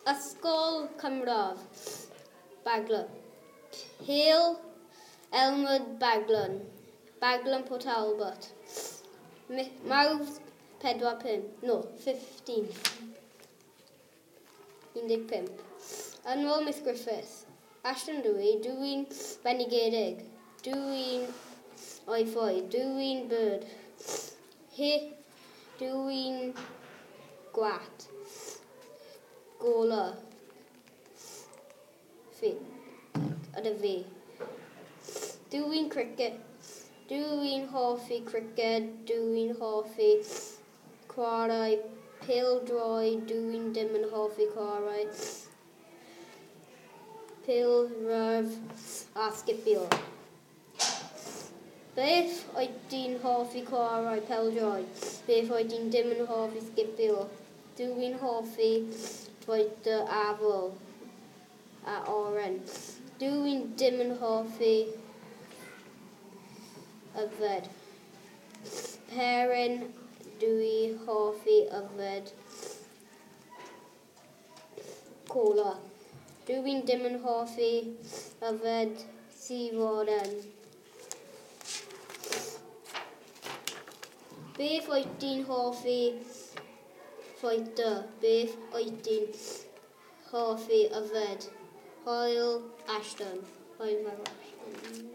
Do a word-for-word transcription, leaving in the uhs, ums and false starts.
Ysgol Cymradd, Baglan. Hill, Elmwood, Baglan. Baglan, Port Talbot. Mawrth pedwar pump, no, fifteen. un deg pump. Yn ôl Miss Griffiths. Ashton dwi, dwi'n bendigedig. Dwi'n o'i ffoi, dwi'n bird. Hi, dwi'n gwat. Gola. Fi. Ydy fi. Dwi'n cricket. Dwi'n hoffi cricket. Dwi'n hoffi chwarae pêl-droed. Dwi'n dim yn hoffi chwarae pêl-rwyd a sgipio. Beth wyt ti'n hoffi chwarae pêl-droed? Beth wyt ti'n dim yn hoffi sgipio? Dwi'n hoffi bwyta afal a oren. Dwi'n dim yn hoffi yfed. Peryn, dwi hoffi yfed cola. Dwi'n dim yn hoffi yfed sudd. Beth wyt ti'n hoffi fwyta? Beth wyt ti'n hoffi yfed? Hwyl, Ashton. Hwyl fawr, Ashton.